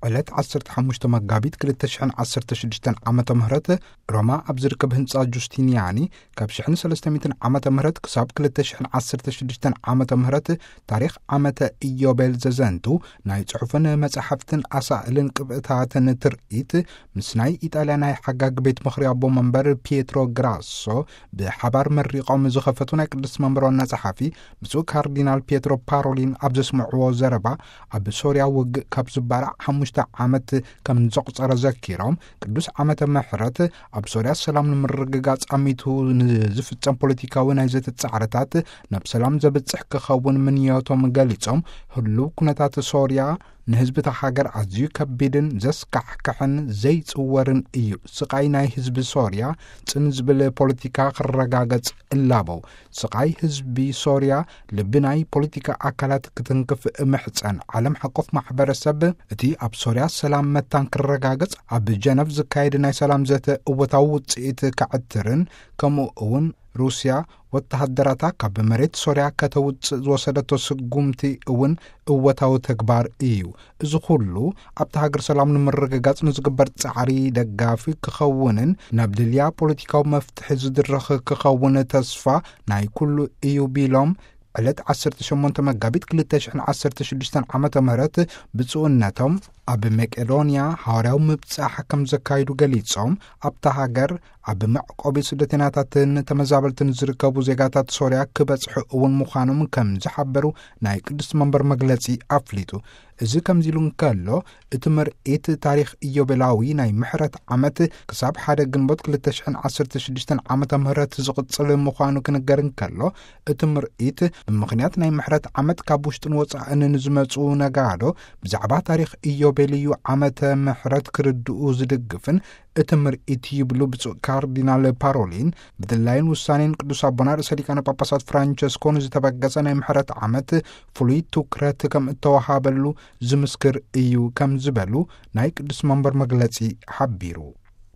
ዕለት ዓሰርተ ሓሙሽተ መጋቢት ክልተ ሽሕን ዓሰርተ ሽዱሽተን ዓመተ ምህረት፣ ሮማ ኣብ ዝርከብ ህንጻ ጁስቲንያኒ፣ ካብ ሽሕን ሰለስተ ሚእትን ዓመተ ምህረት ክሳብ ክልተ ሽሕን ዓሰርተ ሽዱሽተን ዓመተ ምህረት፣ ታሪኽ ዓመተ ኢዮቤል ዘዘንቱ ናይ ጽሑፍን መጻሕፍትን ኣሳእልን ቅብእታትን ትርኢት፣ ምስ ናይ ኢጣልያ ናይ ሓጋግ ቤት ምኽሪ ኣቦ መንበር ፒየትሮ ግራሶ ብሓባር መሪቖም ዝኸፈቱ ናይ ቅድስት መንበር ዋና ጸሓፊ ብፁዕ ካርዲናል ፒየትሮ ፓሮሊን ኣብ ዘስምዕዎ ዘረባ፣ ኣብ ሶርያ ውግእ ካብ ዝባራዕ ሓሙሽተ ዓመት ከም ዘቑጸረ ዘኪሮም፣ ቅዱስ ዓመተ ምሕረት ኣብ ሶርያ ሰላም ንምርግጋጽ ኣሚቱ ንዝፍጸም ፖለቲካዊ ናይ ዘተ ጻዕርታት ናብ ሰላም ዘብጽሕ ክኸውን ምንዮቶም ገሊጾም፣ ህሉው ኩነታት ሶርያ ንህዝቢ እታ ሃገር ኣዝዩ ከቢድን ዘስካሕክሕን ዘይጽወርን እዩ። ስቓይ ናይ ህዝቢ ሶርያ ጽን ዝብል ፖለቲካ ክረጋገጽ እላበው። ስቓይ ህዝቢ ሶርያ ልቢ ናይ ፖለቲካ ኣካላት ክትንክፍ እምሕጸን። ዓለም ሓቆፍ ማሕበረሰብ እቲ ኣብ ሶርያ ሰላም መታን ክረጋገጽ ኣብ ጀነቭ ዝካየድ ናይ ሰላም ዘተ እወታዊ ውጽኢት ከዕትርን፣ ከምኡ እውን ሩስያ ወተሃደራታ ካብ መሬት ሶርያ ከተውጽእ ዝወሰደቶ ስጉምቲ እውን እወታዊ ተግባር እዩ። እዚ ኩሉ ኣብቲ ሃገር ሰላም ንምርግጋጽ ንዝግበር ጻዕሪ ደጋፊ ክኸውንን ናብ ድልያ ፖለቲካዊ መፍትሒ ዝድርኽ ክኸውን ተስፋ ናይ ኩሉ እዩ ቢሎም፣ ዕለት ዓሰርተ ሸሞንተ መጋቢት ክልተ ሽሕን ዓሰርተ ሽዱሽተን ዓመተ ምህረት ብፁዕነቶም ኣብ መቄዶንያ ሃዋርያዊ ምብጻሕ ከም ዘካይዱ ገሊጾም፣ ኣብታ ሃገር ኣብ መዕቆቢ ስደተኛታትን ተመዛበልትን ዝርከቡ ዜጋታት ሶርያ ክበጽሑ እውን ምዃኖም ከም ዝሓበሩ ናይ ቅድስት መንበር መግለጺ ኣፍሊጡ። እዚ ከምዚ ኢሉ እንከሎ፣ እቲ ምርኢት ታሪኽ ኢዮቤላዊ ናይ ምሕረት ዓመት ክሳብ ሓደ ግንቦት ክልተ ሽሕን ዓሰርተ ሽዱሽተን ዓመተ ምህረት ዝቕጽል ምዃኑ ክንገር እንከሎ፣ እቲ ምርኢት ብምኽንያት ናይ ምሕረት ዓመት ካብ ውሽጥን ወጻእን ንዝመጹ ነጋዶ ብዛዕባ ታሪኽ ኢዮቤልዩ ዓመተ ምሕረት ክርድኡ ዝድግፍን እቲ ምርኢት ይብሉ ብፁዕ ካርዲናል ፓሮሊን፣ ብድላይን ውሳኔን ቅዱስ ኣቦና ርእሰ ሊቃነ ጳጳሳት ፍራንቸስኮ ንዝተበገሰ ናይ ምሕረት ዓመት ፍሉይ ትኩረት ከም እተወሃበሉ ዝምስክር እዩ ከም ዝበሉ ናይ ቅዱስ መንበር መግለጺ ሓቢሩ።